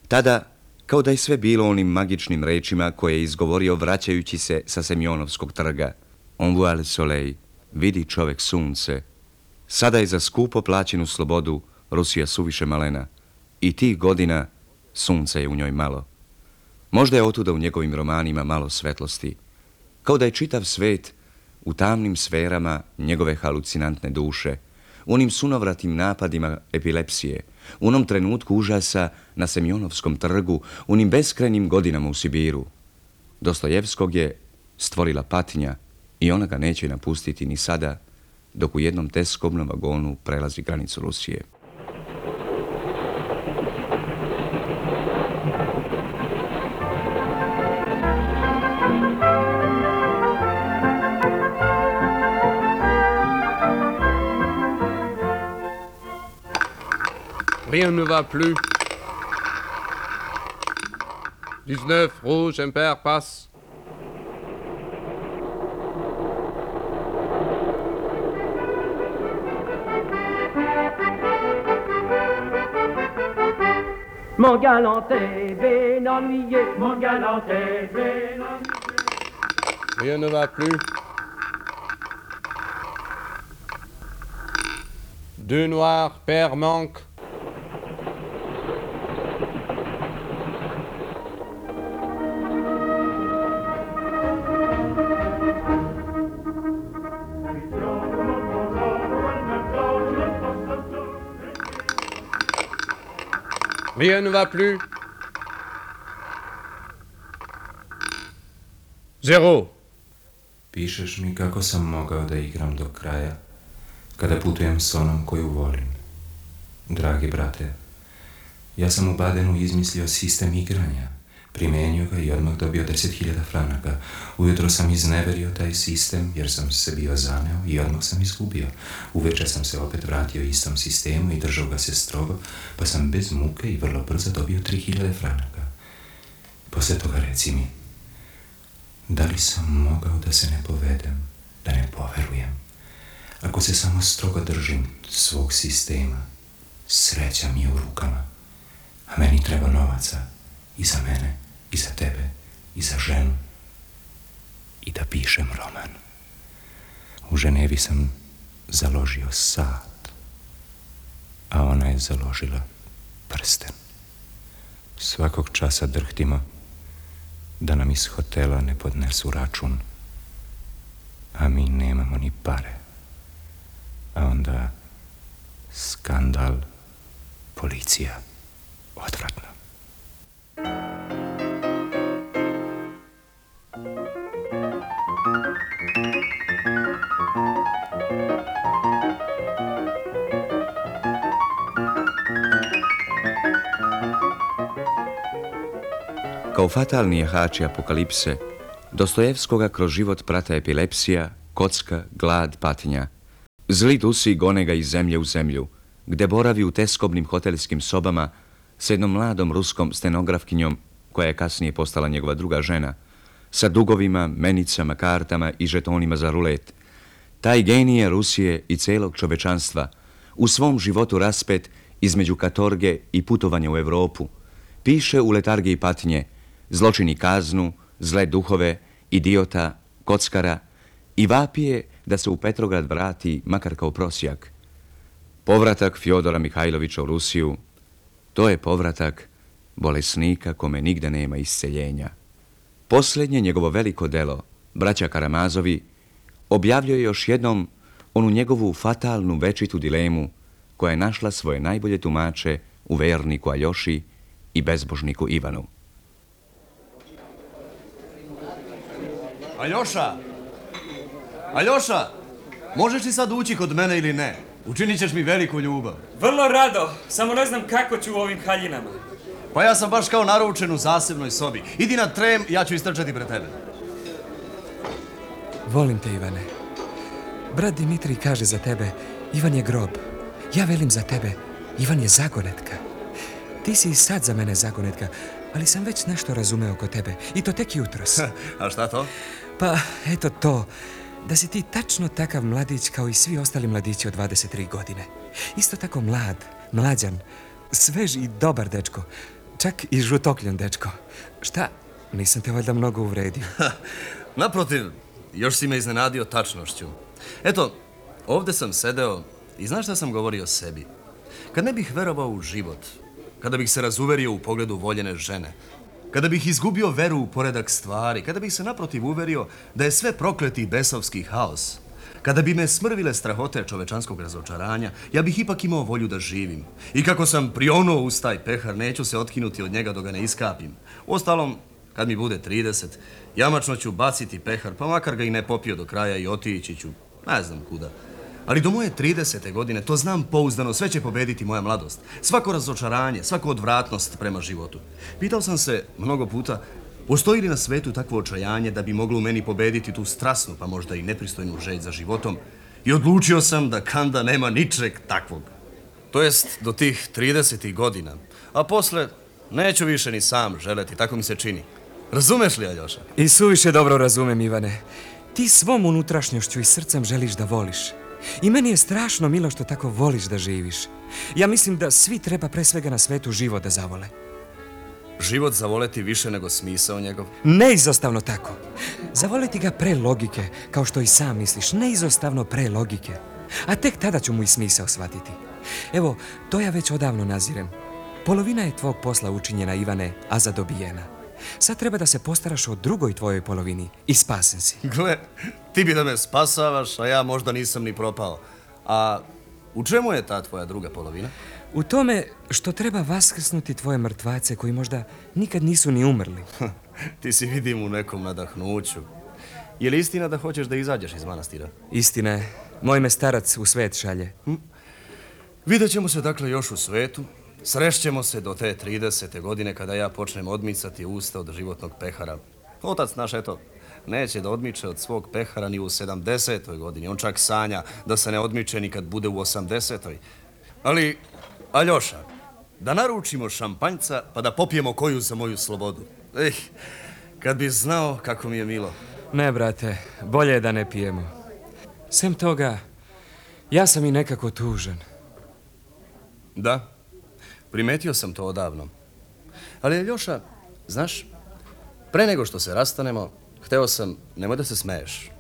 Tada, kao da je sve bilo onim magičnim rečima koje je izgovorio vraćajući se sa Semjonovskog trga. On voile soleil, vidi čovek sunce. Sada je za skupo plaćenu slobodu Rusija suviše malena. I tih godina sunca je u njoj malo. Možda je otuda u njegovim romanima malo svetlosti. Kao da je čitav svet u tamnim sferama njegove halucinantne duše, u onim sunovratim napadima epilepsije, u onom trenutku užasa na Semjonovskom trgu, u onim beskrajnim godinama u Sibiru. Dostojevskog je stvorila patnja i ona ga neće napustiti ni sada, dok u jednom teskobnom vagonu prelazi granicu Rusije. Rien ne va plus. dix-neuf, rouge, impair, passe. Mon galant est bien ennuyé, mon galant est bien ennuyé. Rien ne va plus. Deux noirs, paire manque. Rien ne va plus. Zero. Pišeš mi kako sam mogao da igram do kraja, kada putujem s onom koju volim. Dragi brate, ja sam u Badenu izmislio sistem igranja, primenio ga i odmah dobio deset hiljada franaka. Ujutro sam izneverio taj sistem jer sam se bio zaneo i odmah sam izgubio. Uveče sam se opet vratio istom sistemu i držao ga se strogo, pa sam bez muke i vrlo brzo dobio tri hiljade franaka. Posle toga reci mi, da li sam mogao da se ne povedem, da ne poverujem? Ako se samo strogo držim svog sistema, sreća mi je u rukama, a meni treba novaca i za mene, i za tebe, i za ženu, i da pišem roman. U Ženevi sam založio sat, a ona je založila prsten. Svakog časa drhtimo da nam iz hotela ne podnesu račun, a mi nemamo ni pare. A onda skandal, policija, odvratno. Kao fatalni jahači apokalipse, Dostojevskoga kroz život prate epilepsija, kocka, glad, patnja. Zli dusi gone ga iz zemlje u zemlju, gde boravi u teskobnim hotelskim sobama s jednom mladom ruskom stenografkinjom, koja je kasnije postala njegova druga žena, sa dugovima, menicama, kartama i žetonima za rulet. Taj genije Rusije i celog čovečanstva, u svom životu raspet između katorge i putovanja u Evropu, piše u letargiji patnje, zločini kaznu, zle duhove, idiota, kockara i vapije da se u Petrograd vrati makar kao prosjak. Povratak Fjodora Mihajlovića u Rusiju, to je povratak bolesnika kome nigde nema isceljenja. Posljednje njegovo veliko delo, Braća Karamazovi, objavljuje još jednom onu njegovu fatalnu večitu dilemu koja je našla svoje najbolje tumače u verniku Aljoši i bezbožniku Ivanu. Aljoša! Aljoša! Možeš li sad ući kod mene ili ne? Učinit ćeš mi veliku ljubav. Vrlo rado, samo ne znam kako ću u ovim haljinama. Pa ja sam baš kao naručen u zasebnoj sobi. Idi na trem, ja ću istrčati pred tebe. Volim te, Ivane. Brat Dimitrij kaže za tebe, Ivan je grob. Ja velim za tebe, Ivan je zagonetka. Ti si i sad za mene zagonetka, ali sam već nešto razumeo oko tebe. I to tek jutros. A šta to? Pa, eto to. Da si ti tačno takav mladić kao i svi ostali mladići od dvadeset tri godine. Isto tako mlad, mlađan, svež i dobar dečko. Čak i žutokljan dečko. Šta? Nisam te valjda mnogo uvredio. Naprotiv, još si me iznenadio tačnošću. Eto, ovdje sam sedeo i znaš šta sam govorio o sebi? Kad ne bih verovao u život, kada bih se razuverio u pogledu voljene žene, kada bih izgubio veru u poredak stvari, kada bih se naprotiv uverio da je sve prokleti i besovski haos, kada bi me smrvile strahote čovečanskog razočaranja, ja bih ipak imao volju da živim. I kako sam prionuo uz taj pehar, neću se otkinuti od njega dok ga ne iskapim. Uostalom, kad mi bude trideset, jamačno ću baciti pehar, pa makar ga i ne popio do kraja i otići ću, ne znam kuda. Ali do moje tridesete godine, to znam pouzdano, sve će pobediti moja mladost. Svako razočaranje, svako odvratnost prema životu. Pitao sam se mnogo puta, postoji li na svetu takvo očajanje da bi moglo u meni pobediti tu strasnu, pa možda i nepristojnu želj za životom? I odlučio sam da kanda nema ničeg takvog. To jest do tih tridesetih godina. A posle neću više ni sam želeti, tako mi se čini. Razumeš li, Aljoša? I suviše dobro razumem, Ivane. Ti svom unutrašnjošću i srcem želiš da voliš. I meni je strašno milo što tako voliš da živiš. Ja mislim da svi treba pre svega na svetu život da zavole. Život zavoleti više nego smisao njegov? Neizostavno tako. Zavoleti ga pre logike, kao što i sam misliš. Neizostavno pre logike. A tek tada ću mu i smisao shvatiti. Evo, to ja već odavno nazirem. Polovina je tvog posla učinjena, Ivane, a zadobijena. Sad treba da se postaraš o drugoj tvojoj polovini i spasen si. Gle, ti bi da me spasavaš, a ja možda nisam ni propao. A u čemu je ta tvoja druga polovina? U tome što treba vaskrsnuti tvoje mrtvace koji možda nikad nisu ni umrli. Ti si vidim u nekom nadahnuću. Je li istina da hoćeš da izađeš iz manastira? Istina je. Moj me starac u svet šalje. Hm? Vidjet ćemo se dakle još u svetu. Srešćemo se do te tridesete godine kada ja počnem odmicati usta od životnog pehara. Otac naš, eto, neće da odmiče od svog pehara ni u sedamdesetoj godini. On čak sanja da se ne odmiče ni kad bude u osamdesetoj. Ali, Aljoša, da naručimo šampanjca pa da popijemo koju za moju slobodu. Eh, kad bi znao kako mi je milo. Ne, brate, bolje je da ne pijemo. Sem toga, ja sam i nekako tužan. Da, primetio sam to odavno. Ali, Aljoša, znaš, pre nego što se rastanemo, hteo sam, nemoj da se smeješ,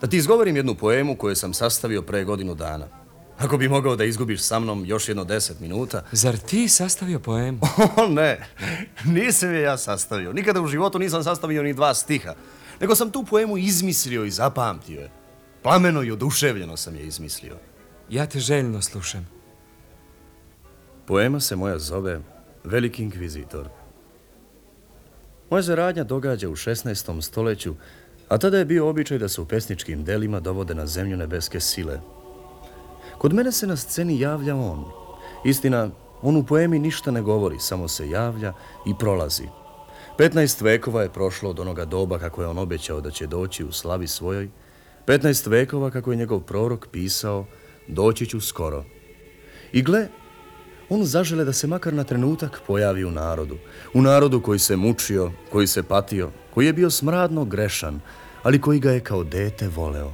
da ti izgovorim jednu poemu koju sam sastavio pre godinu dana. Ako bi mogao da izgubiš sa mnom još jedno deset minuta... Zar ti sastavio poemu? O, ne, nisam je ja sastavio. Nikada u životu nisam sastavio ni dva stiha. Nego sam tu poemu izmislio i zapamtio je. Plameno i oduševljeno sam je izmislio. Ja te željno slušam. Poema se moja zove Veliki inkvizitor. Moja se radnja događa u šesnaestom stoleću, a tada je bio običaj da se u pesničkim delima dovode na zemlju nebeske sile. Kod mene se na sceni javlja on. Istina, on u poemi ništa ne govori, samo se javlja i prolazi. Petnaest vekova je prošlo od onoga doba kako je on obećao da će doći u slavi svojoj. Petnaest vekova kako je njegov prorok pisao, doći ću skoro. I gle, on zažele da se makar na trenutak pojavi u narodu. U narodu koji se mučio, koji se patio, koji je bio smradno grešan, ali koji ga je kao dete voleo.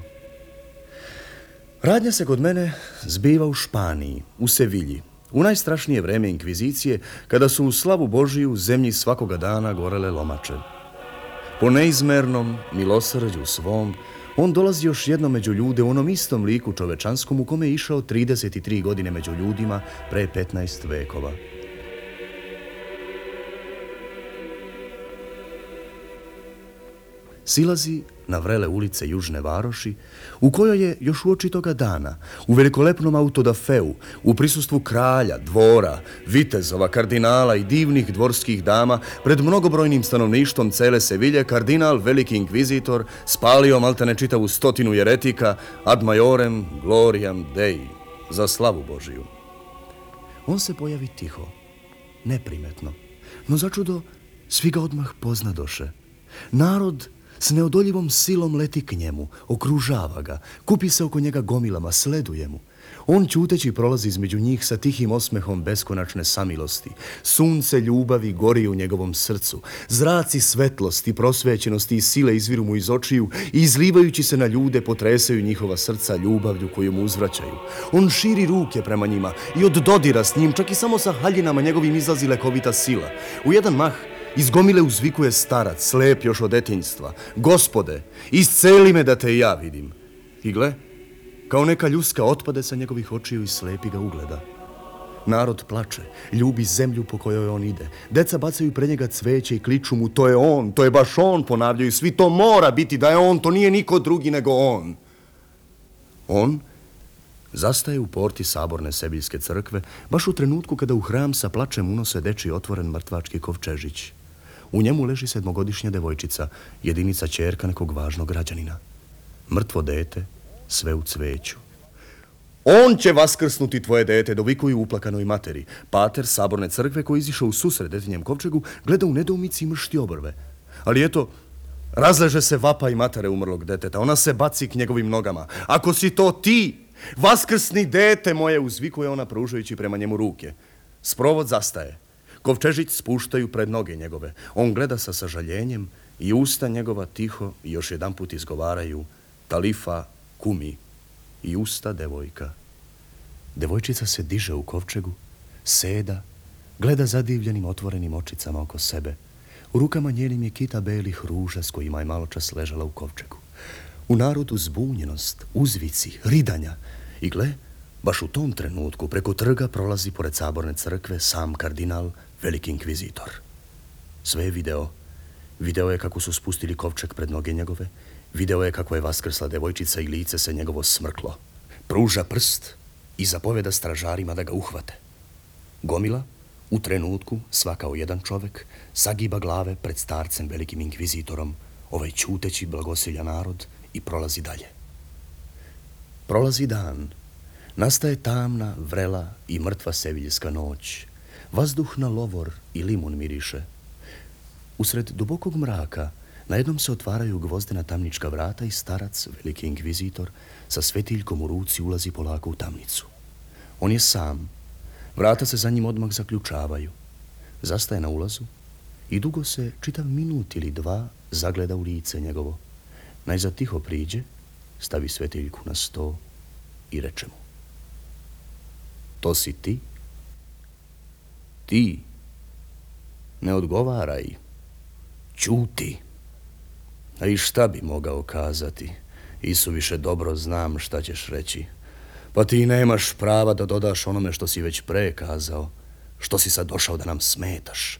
Radnja se kod mene zbiva u Španiji, u Sevilji, u najstrašnije vreme inkvizicije, kada su u slavu Božiju zemlji svakoga dana gorele lomače. Po neizmernom milosrđu svom, on dolazi još jedno među ljude u onom istom liku čovečanskom u kome je išao trideset tri godine među ljudima pre petnaest vekova. silazi na vrele ulice Južne Varoši, u kojoj je još uoči toga dana, u velikolepnom autodafeu, u prisustvu kralja, dvora, vitezova, kardinala i divnih dvorskih dama, pred mnogobrojnim stanovništvom cele Sevilje, kardinal, veliki inkvizitor, spalio maltene čitavu stotinu jeretika ad majorem gloriam Dei, za slavu Božiju. On se pojavi tiho, neprimetno, no začudo svi ga odmah poznadoše. Narod s neodoljivom silom leti k njemu, okružava ga, kupi se oko njega gomilama, sleduje mu. On ćuteći prolazi između njih sa tihim osmehom beskonačne samilosti. Sunce ljubavi gori u njegovom srcu. Zraci svetlosti, prosvećenosti i sile izviru mu iz očiju i izlivajući se na ljude potresaju njihova srca ljubavlju koju mu uzvraćaju. On širi ruke prema njima i od dodira s njim, čak i samo sa haljinama njegovim izlazi lekovita sila. U jedan mah iz gomile uzvikuje starac, slep još od detinjstva. Gospode, isceli me da te i ja vidim. I gle, kao neka ljuska otpade sa njegovih očiju i slepi ga ugleda. Narod plače, ljubi zemlju po kojoj on ide. Deca bacaju pred njega cveće i kliču mu, to je on, to je baš on, ponavljaju svi, to mora biti da je on, to nije niko drugi nego on. On zastaje u porti saborne Sebiljske crkve, baš u trenutku kada u hram sa plačem unose dečiji otvoren mrtvački kovčežić. U njemu leži sedmogodišnja devojčica, jedinica ćerka nekog važnog građanina. Mrtvo dete, sve u cveću. On će vaskrsnuti tvoje dete, dovikuju uplakanoj materi. Pater saborne crkve koji izišao u susret detinjem kovčegu gleda u nedoumici i mršti obrve. Ali eto, razleže se vapa i matere umrlog deteta. Ona se baci k njegovim nogama. Ako si to ti, vaskrsni dete moje, uzvikuje ona pružajući prema njemu ruke. Sprovod zastaje. Kovčežić spuštaju pred noge njegove. On gleda sa sažaljenjem i usta njegova tiho i još jedan put izgovaraju Talifa kumi i usta devojka. Devojčica se diže u kovčegu, seda, gleda zadivljenim otvorenim očicama oko sebe. U rukama njenim je kita belih ruža s kojima je maločas ležala u kovčegu. U narodu zbunjenost, uzvici, ridanja. I gle, baš u tom trenutku preko trga prolazi pored saborne crkve sam kardinal, veliki inkvizitor. Sve je video. Video je kako su spustili kovčeg pred noge njegove. Video je kako je vaskrsla devojčica i lice se njegovo smrklo. Pruža prst i zapoveda stražarima da ga uhvate. Gomila, u trenutku, svakao jedan čovek, sagiba glave pred starcem velikim inkvizitorom, ovaj ćuteći blagosilja narod i prolazi dalje. Prolazi dan. Nastaje tamna, vrela i mrtva seviljska noć. Vazduh na lovor i limun miriše. Usred dubokog mraka na jednom se otvaraju gvozdena tamnička vrata i starac, veliki inkvizitor, sa svetiljkom u ruci ulazi polako u tamnicu. On je sam. Vrata se za njim odmah zaključavaju. Zastaje na ulazu i dugo se, čitav minut ili dva, zagleda u lice njegovo. Najzad tiho priđe, stavi svetiljku na sto i reče mu: To si ti? Ti? Ne odgovaraj. Ćuti. A i šta bi mogao kazati? Isuviše dobro znam šta ćeš reći. Pa ti nemaš prava da dodaš onome što si već pre kazao. Što si sad došao da nam smetaš?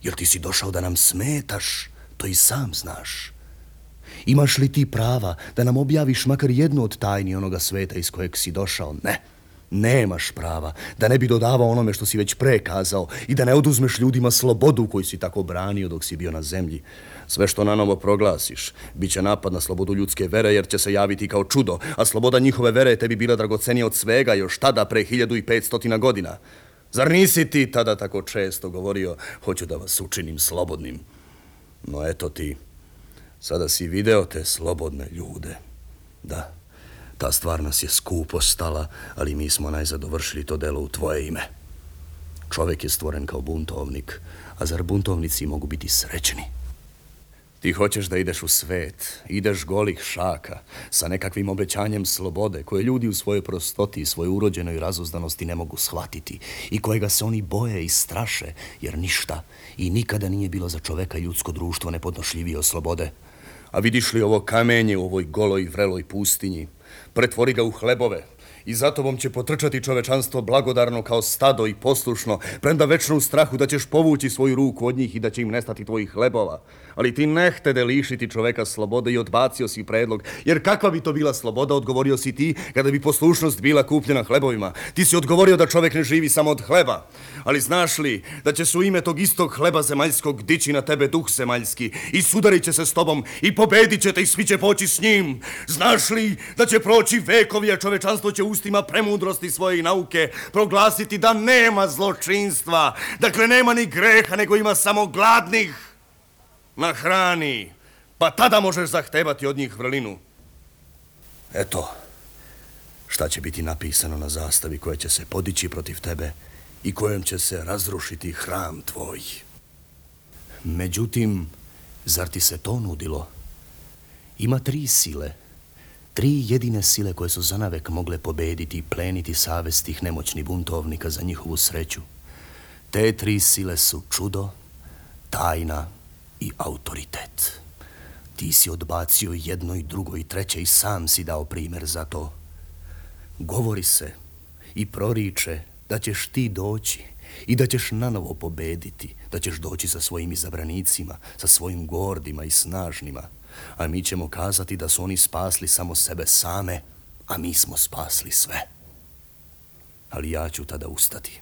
Jer ti si došao da nam smetaš, to i sam znaš. Imaš li ti prava da nam objaviš makar jednu od tajni onoga sveta iz kojeg si došao? Ne. Nemaš prava da ne bi dodavao onome što si već pre kazao i da ne oduzmeš ljudima slobodu koju si tako branio dok si bio na zemlji. Sve što nanovo proglasiš, bit će napad na slobodu ljudske vere jer će se javiti kao čudo, a sloboda njihove vere je tebi bila dragocenija od svega još tada pre hiljadu i petstotina godina. Zar nisi ti tada tako često govorio, hoću da vas učinim slobodnim? No eto ti, sada si video te slobodne ljude. Da. Ta stvar nas je skupo stala, ali mi smo najzad dovršili to delo u tvoje ime. Čovek je stvoren kao buntovnik, a zar buntovnici mogu biti srećni? Ti hoćeš da ideš u svet, ideš golih šaka, sa nekakvim obećanjem slobode, koje ljudi u svojoj prostoti i svojoj urođenoj razuzdanosti ne mogu shvatiti i kojega se oni boje i straše, jer ništa i nikada nije bilo za čoveka i ljudsko društvo nepodnošljivije od slobode. A vidiš li ovo kamenje u ovoj goloj vreloj pustinji? Pretvori ga u hlebove I za tobom će potrčati čovečanstvo blagodarno kao stado i poslušno, premda večno u strahu da ćeš povući svoju ruku od njih i da će im nestati tvojih hlebova. Ali ti ne htede lišiti čoveka slobode i odbacio si predlog, jer kakva bi to bila sloboda, odgovorio si ti, kada bi poslušnost bila kupljena hlebovima. Ti si odgovorio da čovek ne živi samo od hleba. Ali znaš li da će se u ime tog istog hleba zemaljskog dići na tebe duh zemaljski i sudarit će se s tobom i pobedit će te i svi će poći s njim? Znaš li da će proći vekovi, a čovečanstvo će ustima premudrosti svoje i nauke proglasiti da nema zločinstva, dakle nema ni greha, nego ima samo gladnih na hrani, pa tada možeš zahtevati od njih vrlinu. Eto, šta će biti napisano na zastavi koja će se podići protiv tebe i kojom će se razrušiti hram tvoj. Međutim, zar ti se to nudilo? Ima tri sile, tri jedine sile koje su zanavek mogle pobediti i pleniti savest tih nemoćnih buntovnika za njihovu sreću. Te tri sile su čudo, tajna i autoritet. Ti si odbacio jedno i drugo i treće i sam si dao primjer za to. Govori se i proriče da ćeš ti doći i da ćeš nanovo pobediti, da ćeš doći sa svojim izabranicima, sa svojim gordima i snažnima, a mi ćemo kazati da su oni spasli samo sebe same, a mi smo spasli sve. Ali ja ću tada ustati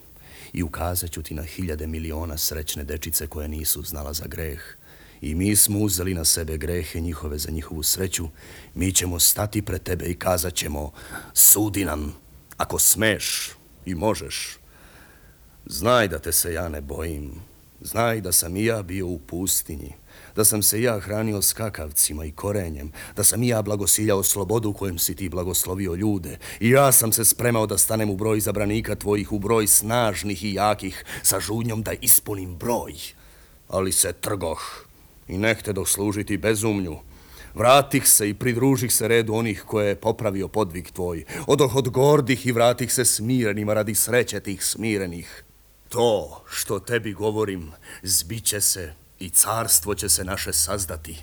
i ukazat ću ti na hiljade miliona srećne dečice koje nisu znala za greh. I mi smo uzeli na sebe grehe njihove za njihovu sreću. Mi ćemo stati pred tebe i kazat ćemo: sudi nam, ako smeš i možeš. Znaj da te se ja ne bojim. Znaj da sam i ja bio u pustinji, da sam se ja hranio skakavcima i korenjem, da sam i ja blagosiljao slobodu kojem si ti blagoslovio ljude. I ja sam se spremao da stanem u broj izabranika tvojih, u broj snažnih i jakih, sa žudnjom da ispunim broj. Ali se trgoh i ne htedoh služiti bezumlju. Vratih se i pridružih se redu onih koje je popravio podvig tvoj. Odoh od gordih i vratih se smirenima radi sreće tih smirenih. To što tebi govorim zbiće se i carstvo će se naše sazdati.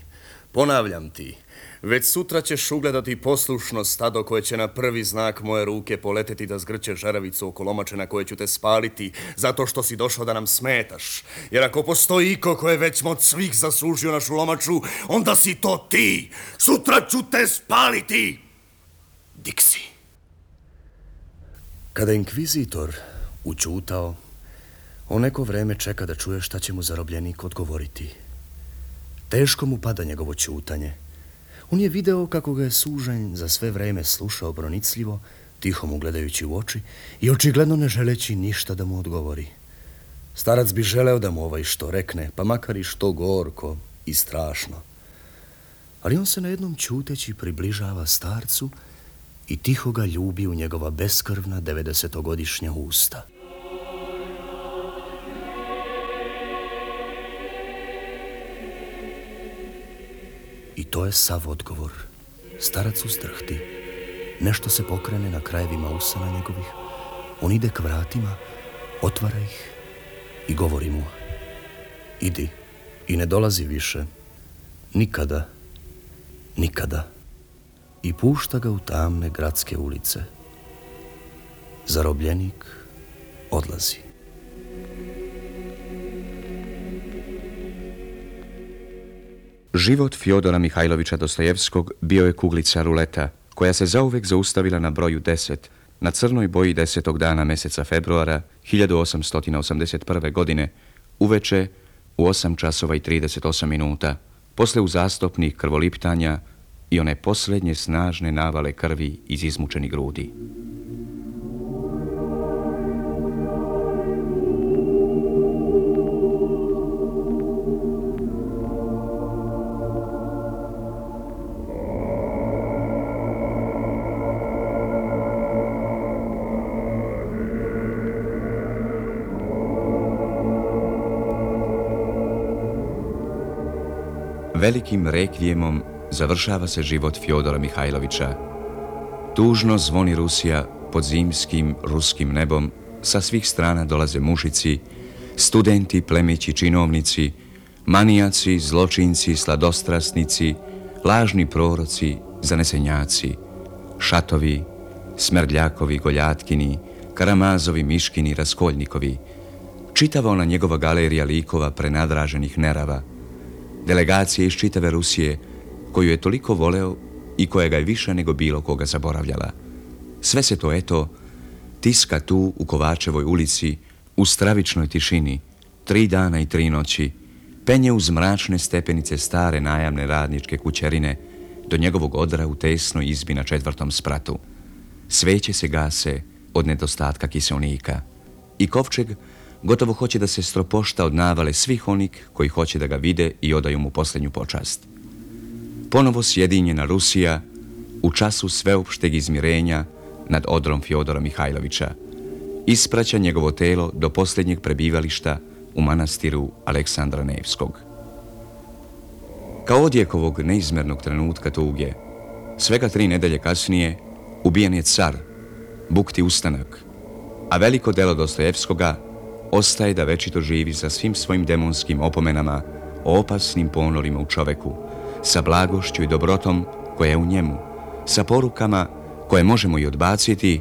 Ponavljam ti, već sutra ćeš ugledati poslušno stado koje će na prvi znak moje ruke poleteti da zgrće žaravicu oko lomače na koje ću te spaliti, zato što si došao da nam smetaš. Jer ako postoji iko koje već od svih zaslužio našu lomaču, onda si to ti. Sutra ću te spaliti. Diksi. Kada inkvizitor učutao, on neko vreme čeka da čuje šta će mu zarobljenik odgovoriti. Teško mu pada njegovo ćutanje. On je video kako ga je sužanj za sve vreme slušao pronicljivo, tiho mu gledajući u oči i očigledno ne želeći ništa da mu odgovori. Starac bi želeo da mu ovaj što rekne, pa makar i što gorko i strašno. Ali on se na jednom ćuteći približava starcu i tiho ga ljubi u njegova beskrvna devedesetogodišnja usta. I to je sav odgovor. Starac uzdrhti. Nešto se pokrene na krajevima usana njegovih. On ide k vratima, otvara ih i govori mu: idi i ne dolazi više. Nikada, nikada. I pušta ga u tamne gradske ulice. Zarobljenik odlazi. Život Fjodora Mihajlovića Dostojevskog bio je kuglica ruleta, koja se zauvek zaustavila na broju deset, na crnoj boji desetog dana meseca februara hiljadu osamsto osamdeset prve. godine, uveče u osam časova i trideset osam minuta, posle uzastopnih krvoliptanja i one posljednje snažne navale krvi iz izmučenih grudi. Velikim rekvijemom završava se život Fjodora Mihajlovića. Tužno zvoni Rusija pod zimskim ruskim nebom, sa svih strana dolaze mušici, studenti, plemići, činovnici, manijaci, zločinci, sladostrasnici, lažni proroci, zanesenjaci, šatovi, Smerdljakovi, Goljatkini, Karamazovi, Miškini, Raskoljnikovi, čitava ona njegova galerija likova prenadraženih nerava, delegacije iz čitave Rusije, koju je toliko voleo i koja ga je više nego bilo koga zaboravljala. Sve se to, eto, tiska tu u Kovačevoj ulici, u stravičnoj tišini, tri dana i tri noći, penje uz mračne stepenice stare najamne radničke kućerine do njegovog odra u tesnoj izbi na četvrtom spratu. Sveće se gase od nedostatka kiselnika i kovčeg gotovo hoće da se stropošta od navale svih onih koji hoće da ga vide i odaju mu posljednju počast. Ponovo sjedinjena Rusija u času sveopšteg izmirenja nad odrom Fjodora Mihajlovića ispraća njegovo telo do posljednjeg prebivališta u manastiru Aleksandra Nevskog. Kao odjek ovog neizmernog trenutka tuge, svega tri nedelje kasnije ubijen je car, bukti ustanak, a veliko delo Dostojevskoga ostaje da večito živi sa svim svojim demonskim opomenama o opasnim ponorima u čoveku, sa blagošću i dobrotom koja je u njemu, sa porukama koje možemo i odbaciti,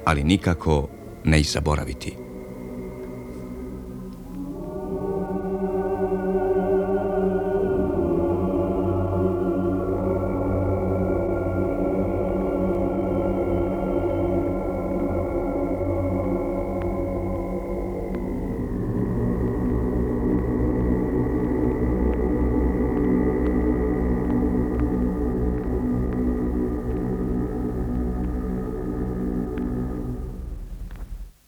ali nikako ne i zaboraviti.